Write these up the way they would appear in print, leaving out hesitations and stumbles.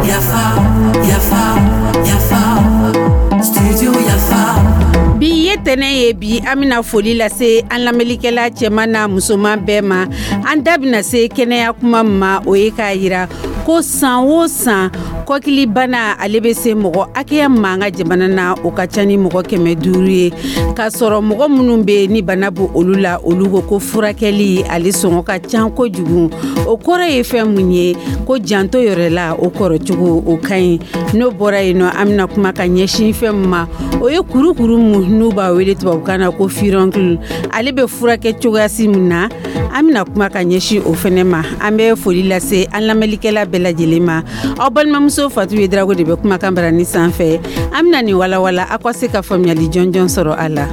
Yafa, yafa, yafa, studio Yafa. Bi ye tɛnɛ ye. Bi, an bɛna foli lase an lamɛnlikɛla cɛman n'a musoman bɛɛ ma. An da bɛna se kɛnɛya kuma ma, o ye k'a yira ko san o san, kɔkilibana, ale bɛ se mɔgɔ hakɛya ma an ka jamana na, o ka ca ni mɔgɔ 500 ye, k'a sɔrɔ mɔgɔ minnu bɛ ni bana bɔ olu la, olu ko ko furakɛli ale sɔngɔ ka ca kojugu. O kɔrɔ ye fɛn mun ye? Ko janto yɛrɛ la, o kɔrɔcogo o ka ɲi. N'o bɔra yen nɔ, an bɛna kuma ka ɲɛsin fɛn min ma, o ye kurukuru mun n'u b'a wele tubabukan na ko furoncle. Ale bɛ furakɛ cogoyasi min na, an bɛna kuma ka ɲɛsin o fɛnɛ ma. An bɛ foli lase an lamɛnlikɛla bɛɛ lajɛlen ma. Aw balimamuso Fatu Yedrago de bɛ kumakan barani sanfɛ. An bɛna nin walawala aw ka se ka faamuyali jɔnjɔn sɔrɔ a la.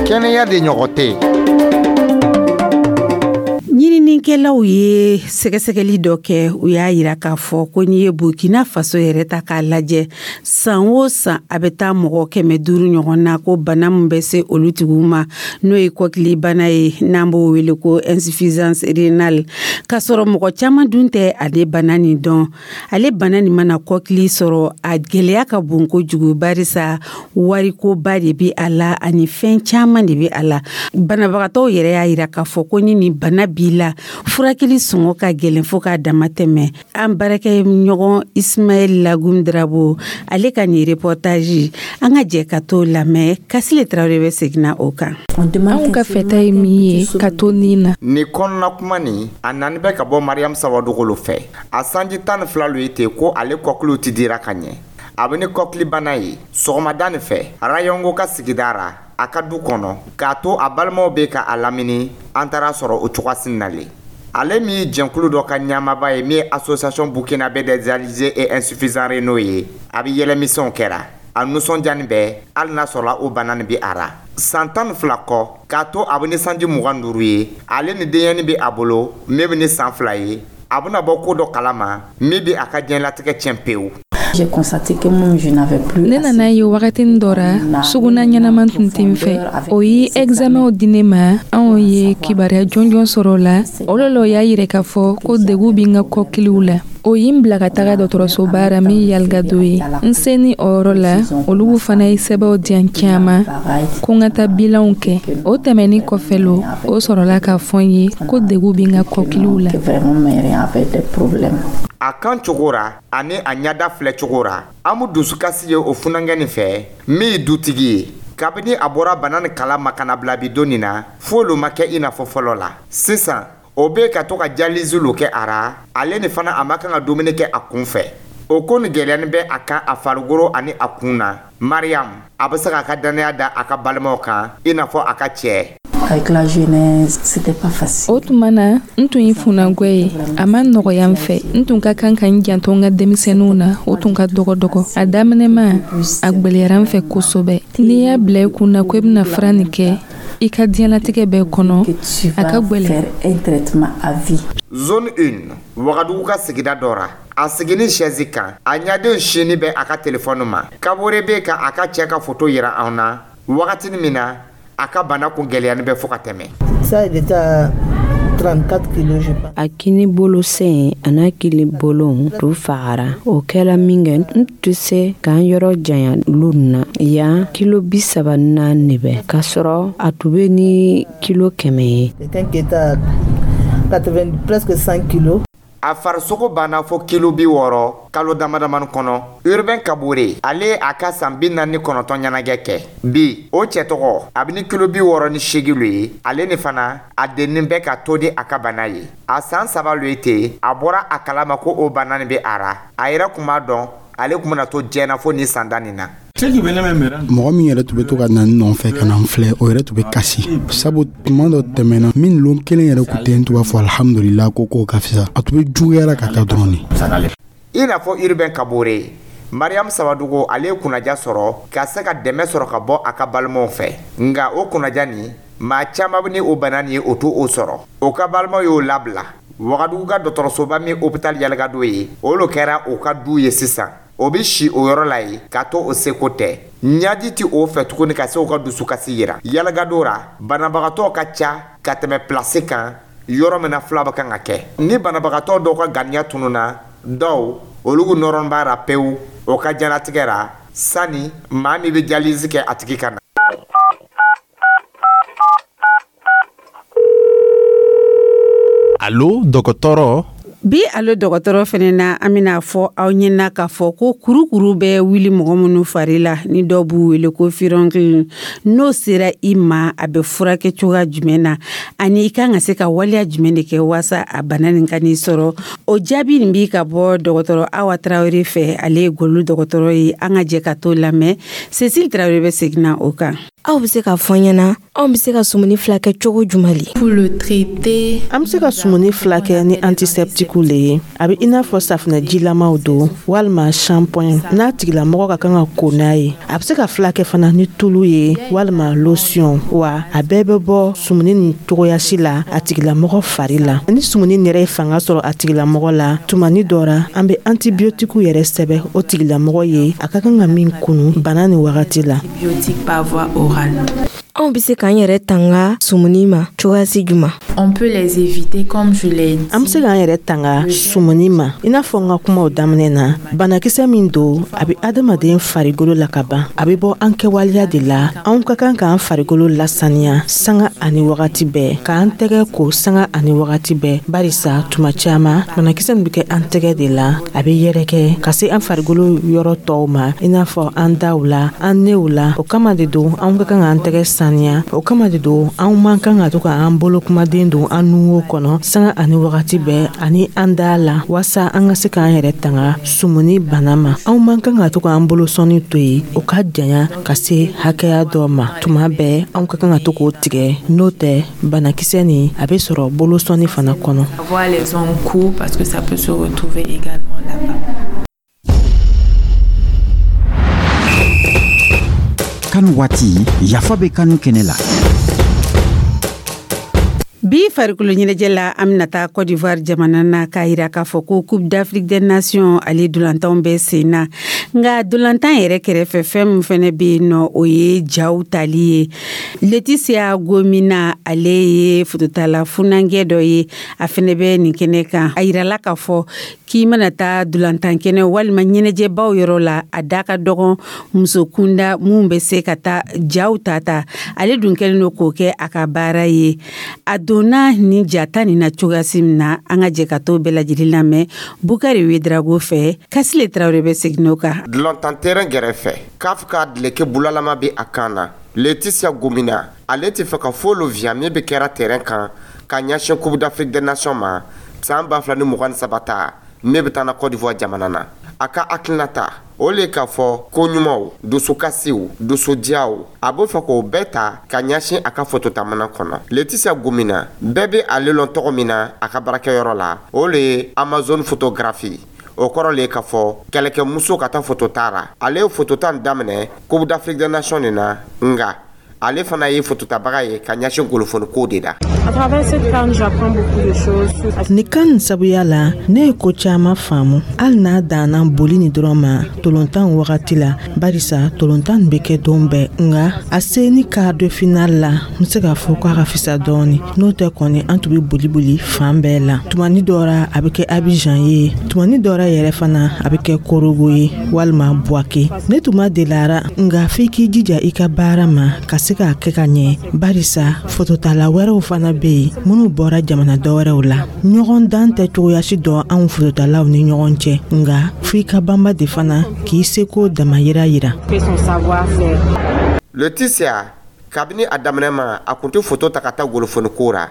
Kɛnɛya de ɲɔgɔn tɛ yen. Ɲininikɛlaw ye sɛgɛsɛgɛli dɔ kɛ, u y'a yira k'a fɔ ko n'i ye Burkina Faso yɛrɛ ta k'a lajɛ, san o san, a bɛ taa mɔgɔ 500 ɲɔgɔn na ko bana min bɛ se olu tigiw ma, n'o ye kɔkilibana ye, n'an b'o wele ko insuffisance rénale, k'a sɔrɔ mɔgɔ caman dun tɛ ale bana nin dɔn. Ale bana nin mana kɔkili sɔrɔ, a gɛlɛya ka bon kojugu, barisa warikoba de bɛ a la ani fɛn caman de bɛ a la. Banabagatɔw yɛrɛ y'a yira k'a fɔ ko ni nin bana b'i la, furakɛli sɔngɔ ka gɛlɛn fo k'a dama tɛmɛ. An baarakɛ ɲɔgɔn Ismaɛl Lagum Drabo, ale ka nin reportage, an ka jɛ ka t'o lamɛn. Kasile Tarawele bɛ seginna o kan. Anw ka fɛta ye min ye, ka to nin na. Nin kɔnɔna kuma nin, a nani bɛ ka bɔ Mariam Sawadogo lo fɛ. A sanji 12 lo ye ten ko ale kɔkiliw ti dira ka ɲɛ. A bɛ ni kɔkilibana ye. Sɔgɔmada nin fɛ, Rayɔngo ka sigida ra, a ka du kɔnɔ, k'a to a balimaw bɛ ka a lamini, an taara sɔrɔ o cogoyasi nalen. Ale min ye jɛnkulu dɔ ka ɲamaba ye, min ye Association burkinabé des dialysés et insuffisants rénaux ye, a bɛ yɛlɛmisɛnw kɛra. A nisɔndiyani bɛɛ, hali n'a sɔrɔla o bana nin bɛ a ra. San 12 kɔ, k'a to a bɛ ni sanji 25 ye, ale ni denyɛni bɛ a bolo min bɛ ni san 2 ye, a bɛna bɔ ko dɔ kalama min bɛ a ka diɲɛlatigɛ tiɲɛ pewu. Ne nana ye wagatinin dɔ ra, suguna ɲɛnama tun tɛ n fɛ. O ye examenw di ne ma. Anw ye kibaruya jɔnjɔn sɔrɔ o la. O le la, o y'a yira k'a fɔ ko degun bɛ n ka kɔkiliw la. O ye n bila ka taga dɔgɔtɔrɔsoba ra min Yalgado ye. N seni o yɔrɔ la, olu fana ye sɛbɛnw di yan caman ko n ka taa bilanw kɛ. O tɛmɛnin kɔfɛ lo, o sɔrɔla k'a fɔ n ye ko degun bɛ n ka kɔkiliw la. A kan cogo ra ani a ɲɛda filɛ cogo ra, an mu dusukasi ye o funankɛ nin fɛ min ye dutigi ye. Kabini a bɔra bana nin kala ma ka na bila bi don nin na, foyi lo ma kɛ i n'a fɔ fɔlɔ la. Sisan, o bɛ ka to ka dialyse lo kɛ a ra. Ale ni fana, a ma kan ka dumuni kɛ a kun fɛ. O ko nin gɛlɛyani bɛ a kan a farikolo ani a kun na. Mariam, a bɛ se k'a ka dannaya da a ka balimaw kan, i n'a fɔ a ka cɛ. O tuma na, n tun ye funankɛ ye. A ma nɔgɔya n fɛ. N tun ka kan ka n janto n ka denmisɛnninw na, o tun ka dɔgɔ dɔgɔ. A daminɛma, a gwɛlɛyara n fɛ kosɛbɛ. N'i y'a bila i kun na ko i bɛna fura nin kɛ i ka diɲɛlatigɛ bɛɛ kɔnɔ, a ka gwɛlɛn. Zone 1, Wagadugu ka sigida dɔ ra, a sigini chaise kan, a ɲadenw sini bɛ a ka telefɔni ma. Kabore bɛ ka a ka cɛ ka foto yira anw na wagatini min na a ka bana kun gɛlɛyani bɛ fo ka tɛmɛ. A kini bolo sen a n'a kini bolo tun fagara. O kɛla min kɛ, n tɛ se k'an yɔrɔ janya lu na yan. Kilo 34 bɛ, k'a sɔrɔ a tun bɛ ni kilo 100 ye. A farisogo banna fo kilo 60 kalo damadamani kɔnɔ. Urbain Kabore, ale a ka san 49 ɲɛnajɛ kɛ bi. O cɛ tɔgɔ, a bɛ ni kilo 68 lo ye. Ale ni fana, a dennin bɛ ka to di a ka bana ye. A san 3 lo ye ten, a bɔra a kalama ko o bana nin bɛ a ra. A yɛrɛ kun b'a dɔn ale kun bɛna to diɲɛ na fo nin san da nin na. Mɔgɔ min yɛrɛ tun bɛ to ka na n nɔfɛ ka na n filɛ, o yɛrɛ tun bɛ kasi, sabu tuma dɔ tɛmɛna min lon kelen yɛrɛ kun tɛ, n tun b'a fɔ alhamdulila ko k'o ka fisa. A tun bɛ juguyara ka taa dɔrɔn de. I n'a fɔ Urbain Kabore, Mariam Sawadogo, ale ye kunnaja sɔrɔ ka se ka dɛmɛ sɔrɔ ka bɔ a ka balimaw fɛ. Nka o kunnaja nin, maa caman bɛ ni o bana nin ye, o t'o sɔrɔ. O ka balimaw y'o labila Wagadugu ka dɔgɔtɔrɔsoba min hôpital Yalgado ye, o lo kɛra o ka du ye sisan. O bɛ si o yɔrɔ la yen k'a to o seko tɛ. Ɲaji tɛ o fɛ tuguni ka se o ka dusukasi yira. Yalagado ra, banabagatɔ ka ca ka tɛmɛ pilasi kan yɔrɔ min na fila bɛ kan ka kɛ. Ni banabagatɔ dɔw ka ganiya tununna, dɔw olu nɔrɔ b'a ra pewu o ka diɲɛlatigɛ ra sani maa min bɛ dialyse kɛ a tigi ka na. Alo dɔgɔtɔrɔ. Bi alo dɔgɔtɔrɔ fɛnɛ na, an bɛna fɔ aw ɲɛna k'a fɔ ko kurukuru bɛ wuli mɔgɔ minnu fari la, ni dɔw b'u wele ko furoncle, n'o sera i ma, a bɛ furakɛ cogoya jumɛn na, ani i kan ka se ka waleya jumɛn de kɛ waasa a bana nin ka n'i sɔrɔ. O jaabi nin bi ka bɔ dɔgɔtɔrɔ Awa Tarawele fɛ, ale ye golo dɔgɔtɔrɔ ye. An ka jɛ ka t'o lamɛn. Cécile Tarawele bɛ segin na o kan. Aw bɛ se k'a fɔ n ɲɛna, anw bɛ se ka sumuni filakɛ cogo jumɛn le? Pour le traiter, An bɛ se ka sumuni filakɛ ni antiseptikiw le ye. A bɛ i n'a fɔ safunɛ jilamaw don walima shampoing n'a tigilamɔgɔ ka kan ka ko n'a ye. A bɛ se ka filakɛ fana ni tulu ye walima lotion, wa a bɛɛ bɛ bɔ sumuni nin cogoyasi la a tigilamɔgɔ fari la. Ni sumuni yɛrɛ ye fanga sɔrɔ a tigilamɔgɔ la, tumani dɔ ra, an bɛ antibiotikiw yɛrɛ sɛbɛn o tigilamɔgɔ ye, a ka kan ka min kunu bana nin wagati la. Antibiotiques par voie orale. Anw bɛ se k'an yɛrɛ tanga sumuni ma cogoyasi jumɛn? On peut les éviter comme je l'ai dit. An bɛ se k'an yɛrɛ tanga sumuni ma i n'a fɔ n ka kumaw daminɛ na. Banakisɛ min don, a bɛ adamaden farikolo la ka ban, a bɛ bɔ an kɛwaleya de la. Anw ka kan k'an farikolo lasaniya sanga ani wagati bɛɛ, k'an tɛgɛ ko sanga ani wagati bɛɛ, barisa tuma caman banakisɛ nin bɛ kɛ an tɛgɛ de la, a bɛ yɛrɛkɛ ka se an farikolo yɔrɔ tɔw ma, i n'a fɔ an daw la, an new la. O kama de don anw ka kan k'an tɛgɛ saniya. O kama de don anw man kan ka to k'an bolo kumaden don an nunwo kɔnɔ sanga ani wagati bɛɛ ani an da la, waasa an ka se k'an yɛrɛ tanga sumuni bana ma. Anw man kan ka to k'an bolo sɔnni to yen o ka janya ka se hakɛya dɔ ma. Tuma bɛɛ anw ka kan ka to k'o tigɛ, n'o tɛ banakisɛ nin a bɛ sɔrɔ bolo sɔnni fana kɔnɔ. Avoir les ongles courts parce que ça peut se retrouver également là-bas. CAN waati, yafa bɛ kanu kɛnɛ la. Bi farikolo ɲɛnajɛ la, an bɛna taa Côte d'Ivoire jamana na k'a yira k'a fɔ ko Coupe d'Afrique des Nations ale dolantanw bɛ sen na. Nka dolantan yɛrɛ kɛrɛfɛ, fɛn min fɛnɛ bɛ yen nɔ, o ye jaw tali ye. Laetitia Gomina, ale ye fototala funankɛ dɔ ye, a fɛnɛ bɛ nin kɛnɛ kan. A yirala k'a fɔ k'i mana taa dolantan kɛnɛ walima ɲɛnajɛbaw yɔrɔ la, a da ka dɔgɔn muso kunda mun bɛ se ka taa jaw ta ta. Ale dun kɛlen don k'o kɛ a ka baara ye. A donna nin jata nin na cogoyasi min na, an ka jɛ ka t'o bɛɛ lajɛlen lamɛn Bukari Wedrago fɛ. Kasile Tarawele bɛ segin o kan. Dolantan terrain gɛrɛfɛ, CAF ka dileke bulalama bɛ a kan na. Laetitia Gomina, ale tɛ fɛ ka fo lo viya min bɛ kɛra terrain kan ka ɲɛsin Coupe d'Afrique des Nations ma san 2023 ta min bɛ taa na Côte d'Ivoire jamana na. A ka hakilinata o le k'a fɔ ko ɲumanw, dusukasiw, dusudiyaw, a b'o fɛ k'o bɛɛ ta ka ɲɛsin a ka fototamana kɔnɔ. Laetitia Gomina, bɛɛ bɛ ale lɔn tɔgɔ min na a ka baarakɛyɔrɔ la, o le ye Amazon photographie. O kɔrɔ le k'a fɔ kɛlɛkɛmuso ka taa fotota ra. Ale ye fotota daminɛ Coupe d'Afrique des Nations nin na, nka ale fana ye fototabaga ye ka ɲɛsin golofoniko de la. Nin CAN sabuya la, ne ye ko caman faamu, hali n'a danna boli ni dɔrɔn ma tolontan wagati la, barisa tolontan bɛ kɛ don bɛɛ. Nka a se ni quart de finale la, n bɛ se k'a fɔ k'a ka fisa dɔɔni. N'o tɛ kɔni, an tun bɛ boli boli fan bɛɛ la. Tumani dɔ ra, a bɛ kɛ Abidjan ye, tumani dɔ ra yɛrɛ fana, a bɛ kɛ Korogo ye walima Bouaké. Ne tun ma deli a ra, nka f'i k'i jija i ka baara ma ka se k'a kɛ ka ɲɛ, barisa fototala wɛrɛw fana bɛ yen minnu bɔra jamana dɔwɛrɛw la. Ɲɔgɔn dan tɛ cogoyasi dɔn anw fototalaw ni ɲɔgɔn cɛ, nka f'i ka banba de fana k'i seko damayira yira. Laetitia, kabini a daminɛ ma, a kun tɛ foto ta ka taa golofoniko ra.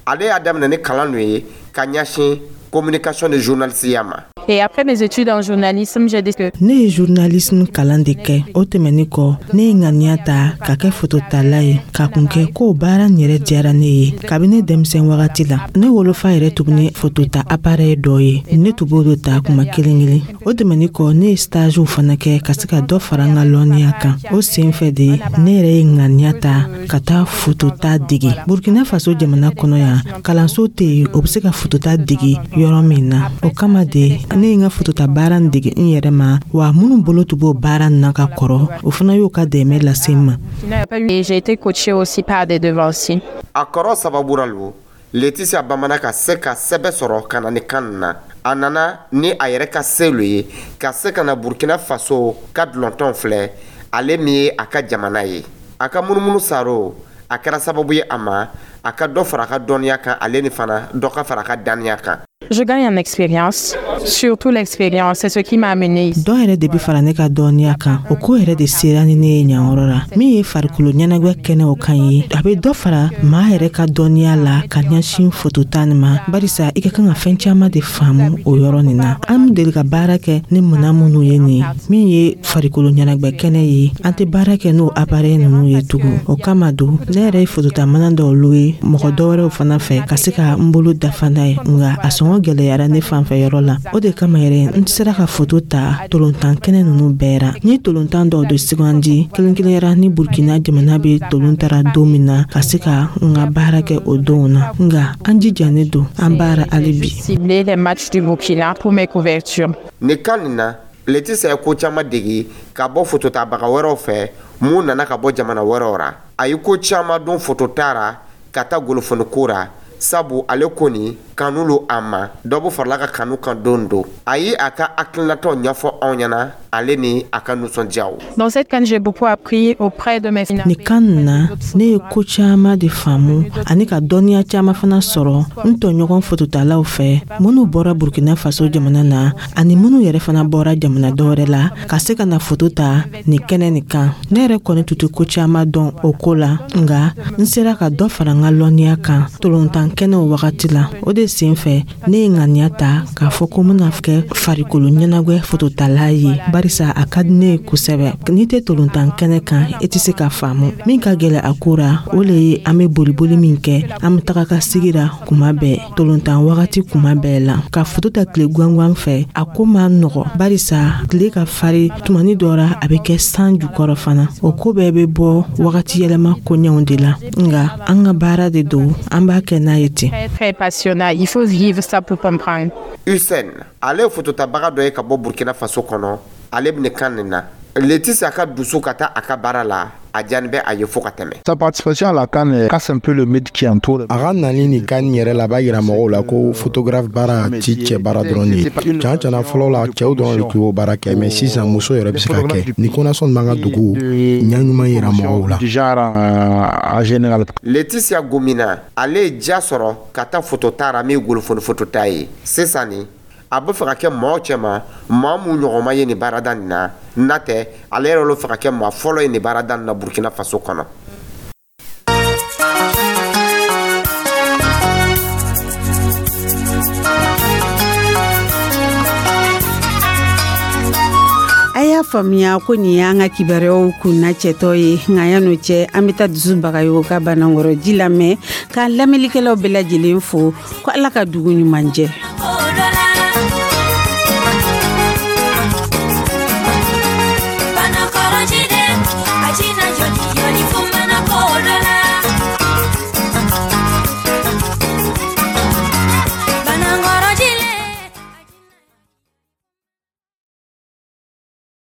Ale y'a daminɛ ni kalan dɔ ye ka ɲɛsin communication de journaliste ma. Et après mes études en journalisme, j'ai décidé Ne ye journalisme kalan de kɛ. O tɛmɛnin kɔ, ne ye ŋaniya ta ka kɛ fototala ye, ka kun kɛ k'o baara nin yɛrɛ diyara ne ye kabini denmisɛn wagati la. Ne wolofa yɛrɛ tun ni fotota appareil dɔ ye, ne tun b'o de ta kuma kelen kelen. O tɛmɛnin kɔ, ne ye stagew fana kɛ ka se ka dɔ fara n ka lɔnniya kan. O sen fɛ de, ne yɛrɛ ye ŋaniya ta ka taa fotota dege Burkina Faso jamana kɔnɔ yan. Kalanso tɛ yen o bɛ se ka fotota dege yɔrɔ min na. O kama de, Ne ye n ka fotota baara nin dege n yɛrɛ ma, wa minnu bolo tun b'o baara nin na ka kɔrɔ, o fana y'o ka dɛmɛ lase n ma. Et j'ai été coachée aussi par des devanciers. A kɔrɔ sababu ra lo, Laetitia Bamana ka se ka sɛbɛ sɔrɔ ka na ni CAN na. A nana ni a yɛrɛ ka se lo ye ka se ka na Burkina Faso ka dulɔntɔn filɛ, ale min ye a ka jamana ye. A ka munumunu saro, a kɛra sababu ye a ma a ka dɔ fara a ka dɔnniya kan, ale ni fana dɔ ka fara a ka daniya kan. Je gagne en expérience, surtout l'expérience, c'est ce qui m'a amené ici. Dɔ yɛrɛ de be fara ne ka dɔnniya kan. O ko yɛrɛ de sera ni ne ye ɲanyɔrɔ la. Min ye farikolo ɲɛnagwɛ kɛnɛw kan ye, a be dɔ fara maa yɛrɛ ka dɔnniya la ka ɲɛsin fotota nin ma, barisa i ka kan ka fɛn caaman de faamu o yɔrɔ nin na. An be deli ka baara kɛ ni minan minnu ye nin, min ye farikolo ɲɛnagwɛ kɛnɛ ye, an tɛ baara kɛ n'o appareil ninnu ye tugun. O kama don, ne yɛrɛ ye fotota mana dɔw louer mɔgɔ dɔwɛrɛw fana fɛ ka se ka n bolo dafa n'a ye, nga a sɔngɔ gɛlɛyara ne fanfɛ yɔrɔ la. O de kama yɛrɛ, n sera ka foto ta tolontan kɛnɛ ninnu bɛɛ ra. N ye tolontan dɔw de sugandi kelen kelenyara ni Burkina jamana be tolon tara don min na, ka se ka n ka baara kɛ o donw na. Nga an jijanen don an baara hali bi. Cibler les matchs du Burkina pour mes couvertures. Nin CAN nin na, Laetitia ye ko caman degi ka bɔ fototabaga wɛrɛw fɛ mun nana ka bɔ jamana wɛrɛw ra. A ye ko caman dɔn fotota ra ka taa golofoniko ra, sabu ale kɔni kanu lo a ma, dɔ bɛ farala ka kanu kan don do. A ye a ka hakilinataw ɲɛfɔ anw ɲɛna, ale ni a ka nisɔndiyaw. Dans cette CAN, j'ai beaucoup appris auprès de mes Nin CAN nin na, ne ye ko caaman de faamu ani ka dɔnniya caaman fana sɔrɔ n tɔɲɔgɔn fototalaw fɛ, minnu bɔra Burkina Faso jamana na ani minnu yɛrɛ fana bɔra jamana dɔwɛrɛ la ka se ka na foto ta nin kɛnɛ nin kan. Ne yɛrɛ kɔni tun tɛ ko caaman dɔn o ko la, nga n sera ka dɔ fara n ka lɔnniya kan tolontan kɛnɛw wagati la. O de sen fɛ, ne ye ŋaniya ta k'a fɔ ko n bɛna kɛ farikolo ɲɛnagwɛ fototala ye, barisa a ka di ne ye kosɛbɛ. N'i tɛ tolontan kɛnɛ kan, i tɛ se ka faamu. Min ka gɛlɛ a ko ra, o le ye an bɛ boliboli min kɛ, an bɛ taga ka sigi ra kuma bɛɛ tolontan wagati kuma bɛɛ la. Ka foto ta tile gangan fɛ, a ko ma nɔgɔ, barisa tile ka fari tumani dɔ ra, a bɛ kɛ san jukɔrɔ fana. O ko bɛɛ bɛ bɔ wagati yɛlɛma koɲɛw de la, nga an ka baara de don, an b'a kɛ n'a ye ten. Très, très passionnant. Il faut vivre ça pour comprendre. Hussein, ale ye fototabaga dɔ ye ka bɔ Burkina Faso kɔnɔ. Ale bɛ nin CAN nin na. Laetitia ka dusu ka taa a ka baara la, a diyani bɛ a ye fo ka tɛmɛ. Sa participation à la CAN casse un peu le mythe qui entoure. A ka nali nin CAN yɛrɛ la, a b'a yira mɔgɔw la ko photographe baara ti cɛ baara dɔrɔn de ye. Can cana, fɔlɔ la, cɛw dɔrɔn de tun y'o baara kɛ, mais sisan muso yɛrɛ bɛ se ka kɛ. Nin konasɔn b'an ka dugu ɲa ɲuman yira mɔgɔw la. Du genre en général. Laetitia Gomina, ale ye diya sɔrɔ ka taa fotota ra min ye golofoni fotota ye. Sisan ni a bɛ fɛ ka kɛ maaw cɛma, maa mun ɲɔgɔn ma ye nin baarada nin na, n'a tɛ ale yɛrɛ lo fɛ ka kɛ maa fɔlɔ ye nin baarada nin na Burkina Faso kɔnɔ. A y'a faamuya ko nin y'an ka kibaruyaw kunna cɛtɔ ye. Nka yan'o cɛ, an bɛ taa Dusu Bagayogo ka Banankɔrɔ ji lamɛn, k'an lamɛnlikɛlaw bɛɛ lajɛlen fo ko Ala ka dugu ɲuman jɛ.